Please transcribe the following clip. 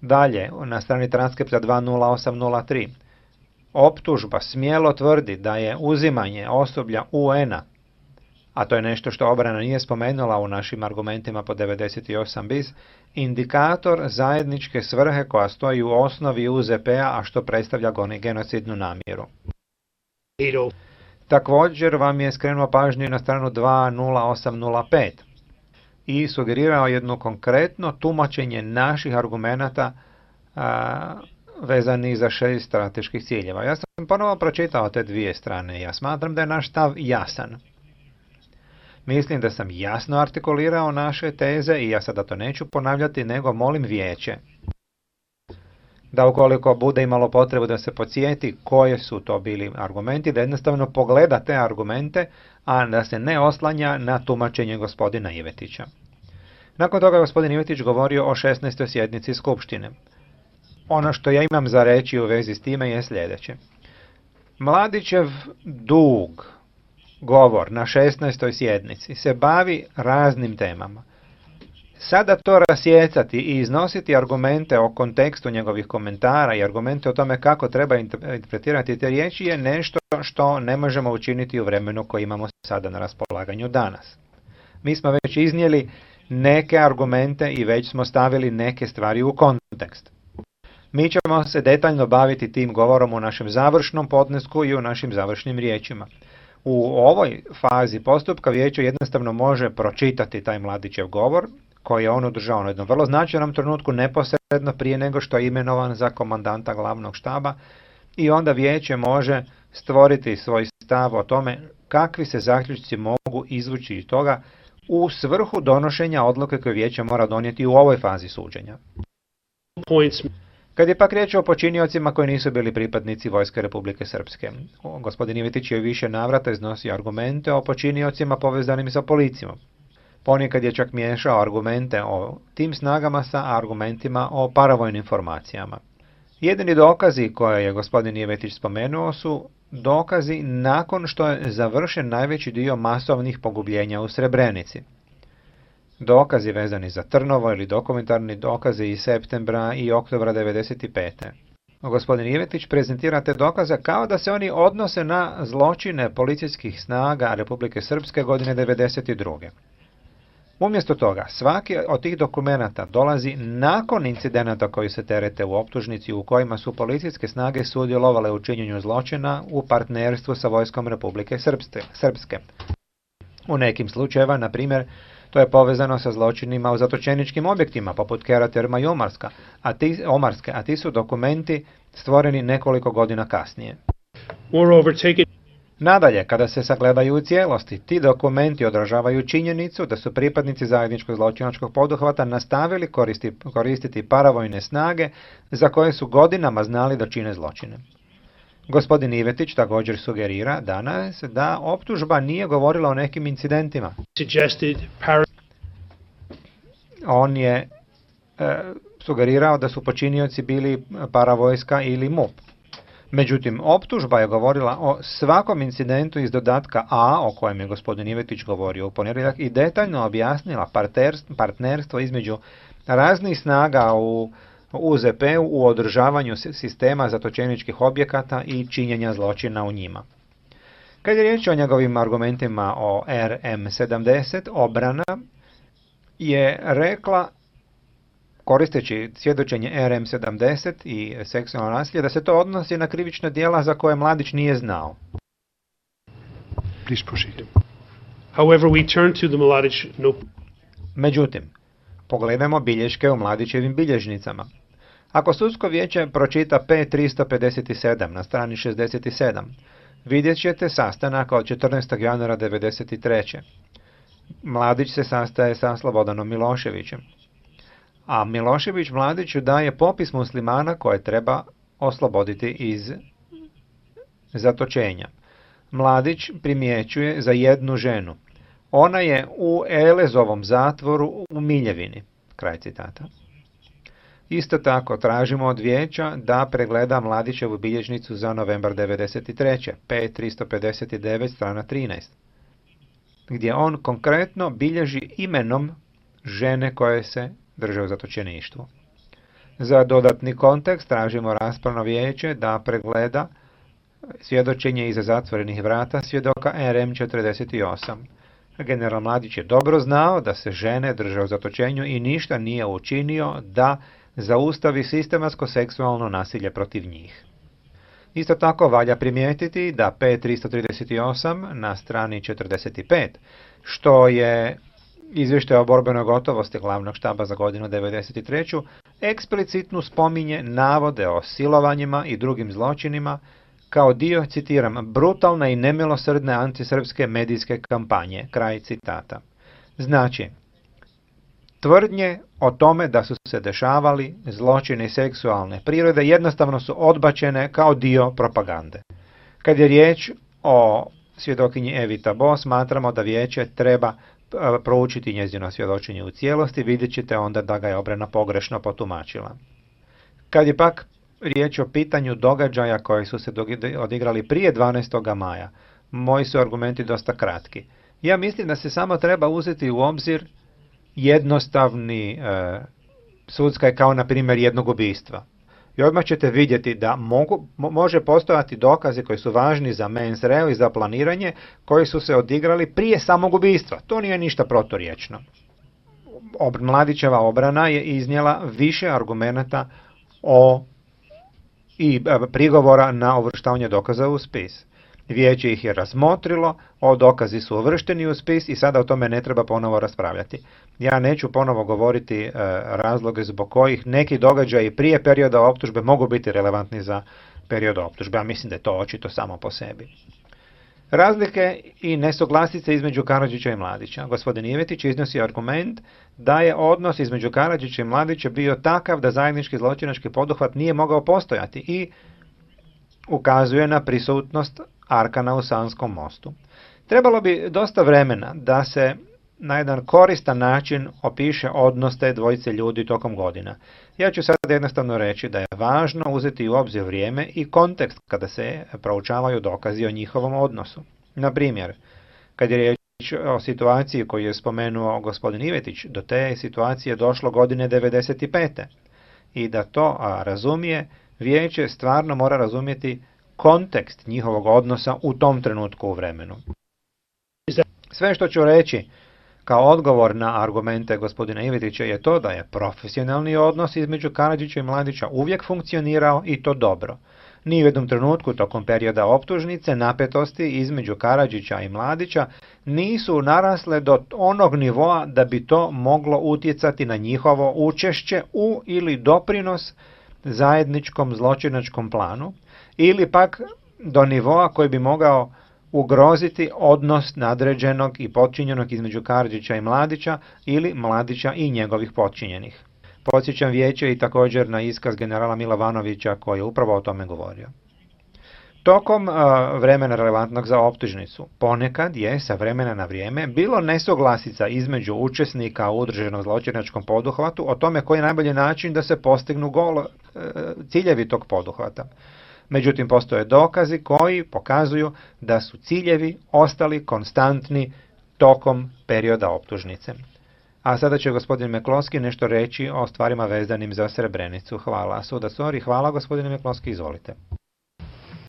Dalje, na strani transkripta 20803. Optužba smjelo tvrdi da je uzimanje osoblja UN-a, a to je nešto što obrana nije spomenula u našim argumentima po 98 bis, indikator zajedničke svrhe koja stoji u osnovi UZP-a, a što predstavlja genocidnu namjeru. Također vam je skrenuo pažnju na stranu 20805 i sugerirao jedno konkretno tumačenje naših argumenata vezani za 6 strateških ciljeva. Ja sam ponovo pročitao te dvije strane i ja smatram da je naš stav jasan. Mislim da sam jasno artikulirao naše teze i ja sada to neću ponavljati, nego molim vijeće da ukoliko bude imalo potrebu da se podsjeti koje su to bili argumenti, da jednostavno pogleda te argumente, a da se ne oslanja na tumačenje gospodina Ivetića. Nakon toga gospodin Ivetić govorio o 16. sjednici Skupštine. Ono što ja imam za reći u vezi s time je sljedeće. Mladićev dug govor na 16. sjednici se bavi raznim temama. Sada to rasjecati i iznositi argumente o kontekstu njegovih komentara i argumente o tome kako treba interpretirati te riječi je nešto što ne možemo učiniti u vremenu koje imamo sada na raspolaganju danas. Mi smo već iznijeli neke argumente i već smo stavili neke stvari u kontekst. Mi ćemo se detaljno baviti tim govorom u našem završnom podnesku i u našim završnim riječima. U ovoj fazi postupka vijeće jednostavno može pročitati taj Mladićev govor, koji je on održao na jednom vrlo značajnom trenutku neposredno prije nego što je imenovan za komandanta glavnog štaba, i onda vijeće može stvoriti svoj stav o tome kakvi se zaključci mogu izvući iz toga u svrhu donošenja odluke koje vijeće mora donijeti u ovoj fazi suđenja. Kad je pak riječ o počiniocima koji nisu bili pripadnici Vojske Republike Srpske, gospodin Ivetić je više navrata iznosio argumente o počiniocima povezanim sa policijom. Ponekad je čak miješao argumente o tim snagama sa argumentima o paravojnim formacijama. Jedini dokazi koje je gospodin Ivetić spomenuo su dokazi nakon što je završen najveći dio masovnih pogubljenja u Srebrenici. Dokazi vezani za Trnovo ili dokumentarni dokazi iz septembra i oktobra 1995. Gospodin Ivetić prezentira te dokaze kao da se oni odnose na zločine policijskih snaga Republike Srpske godine 1992. Umjesto toga, svaki od tih dokumenata dolazi nakon incidenata koji se terete u optužnici u kojima su policijske snage sudjelovale u činjenju zločina u partnerstvu sa Vojskom Republike Srpske. U nekim slučajeva, na primjer, to je povezano sa zločinima u zatočeničkim objektima, poput Kera Terma i Omarske, a ti su dokumenti stvoreni nekoliko godina kasnije. Nadalje, kada se sagledaju u cijelosti, ti dokumenti odražavaju činjenicu da su pripadnici zajedničkog zločinačkog poduhvata nastavili koristiti paravojne snage za koje su godinama znali da čine zločine. Gospodin Ivetić također sugerira danas da optužba nije govorila o nekim incidentima. On je sugerirao da su počinioci bili paravojska ili MUP. Međutim, optužba je govorila o svakom incidentu iz dodatka A, o kojem je gospodin Ivetić govorio u ponedjeljak, i detaljno objasnila partnerstvo između raznih snaga u UZP-u u održavanju sistema zatočeničkih objekata i činjenja zločina u njima. Kad je riječ o njegovim argumentima o RM70, obrana je rekla, koristeći svjedočenje RM70 i seksualno nasilje, da se to odnosi na krivična djela za koje Mladić nije znao. Međutim, pogledajmo bilješke u Mladićevim bilježnicama. Ako sudsko vijeće pročita P357 na strani 67, vidjet ćete sastanak od 14. januara 1993. Mladić se sastaje sa Slobodanom Miloševićem, a Milošević Mladiću daje popis muslimana koje treba osloboditi iz zatočenja. Mladić primjećuje za jednu ženu. Ona je u Elezovom zatvoru u Miljevini. Kraj citata. Isto tako tražimo od vijeća da pregleda Mladićevu bilježnicu za novembar 1993. P359 strana 13. gdje on konkretno bilježi imenom žene koje se drže u zatočeništvu. Za dodatni kontekst tražimo raspravno vijeće da pregleda svjedočenje iza zatvorenih vrata svjedoka RM48. General Mladić je dobro znao da se žene drže u zatočenju i ništa nije učinio da zaustavi sistematsko seksualno nasilje protiv njih. Isto tako valja primijetiti da P338 na strani 45, što je izvještaj o borbenoj gotovosti glavnog štaba za godinu 1993. eksplicitno spominje navode o silovanjima i drugim zločinima kao dio, citiram, brutalne i nemilosrdne antisrpske medijske kampanje, kraj citata. Znači, tvrdnje o tome da su se dešavali zločini seksualne prirode jednostavno su odbačene kao dio propagande. Kad je riječ o svjedokinji Evi Tabo, smatramo da vijeće treba proučiti njezino svjedočenje u cijelosti, vidjet ćete onda da ga je obrana pogrešno potumačila. Kad je pak riječ o pitanju događaja koji su se odigrali prije 12. maja, moji su argumenti dosta kratki. Ja mislim da se samo treba uzeti u obzir jednostavni sudskaj kao na primjer jednog ubistva. I odmah ćete vidjeti da može postojati dokazi koji su važni za mens rea i za planiranje koji su se odigrali prije samog ubistva. To nije ništa proturječno. Mladićeva obrana je iznijela više argumenata i prigovora na uvrštavanje dokaza u spis. Vijeće ih je razmotrilo, dokazi su uvršteni u spis i sada o tome ne treba ponovo raspravljati. Ja neću ponovo govoriti razloge zbog kojih neki događaji prije perioda optužbe mogu biti relevantni za period optužbe, a mislim da je to očito samo po sebi. Razlike i nesuglasice između Karadžića i Mladića. Gospodin Ivetić iznosi argument da je odnos između Karadžića i Mladića bio takav da zajednički zločinački poduhvat nije mogao postojati i ukazuje na prisutnost Arkana u Sanskom mostu. Trebalo bi dosta vremena da se na jedan koristan način opiše odnos te dvojice ljudi tokom godina. Ja ću sad jednostavno reći da je važno uzeti u obzir vrijeme i kontekst kada se proučavaju dokazi o njihovom odnosu. Na primjer, kad je riječ o situaciji koju je spomenuo gospodin Ivetić, do te situacije došlo godine 1995. I da to razumije, vijeće stvarno mora razumjeti kontekst njihovog odnosa u tom trenutku u vremenu. Sve što ću reći kao odgovor na argumente gospodina Ivetića je to da je profesionalni odnos između Karadžića i Mladića uvijek funkcionirao i to dobro. Ni u jednom trenutku tokom perioda optužnice napetosti između Karadžića i Mladića nisu narasle do onog nivoa da bi to moglo utjecati na njihovo učešće u ili doprinos zajedničkom zločinačkom planu, ili pak do nivoa koji bi mogao ugroziti odnos nadređenog i potčinjenog između Karadžića i Mladića ili Mladića i njegovih potčinjenih. Podsjećam vijeće i također na iskaz generala Milovanovića koji je upravo o tome govorio. Tokom vremena relevantnog za optužnicu ponekad je sa vremena na vrijeme bilo nesuglasica između učesnika u udruženom zločinačkom poduhvatu o tome koji je najbolji način da se postignu ciljevi tog poduhvata. Međutim, postoje dokazi koji pokazuju da su ciljevi ostali konstantni tokom perioda optužnice. A sada će gospodin Mekloski nešto reći o stvarima vezanim za Srebrenicu. Hvala. Sudac Ori, hvala gospodine Mekloski, izvolite.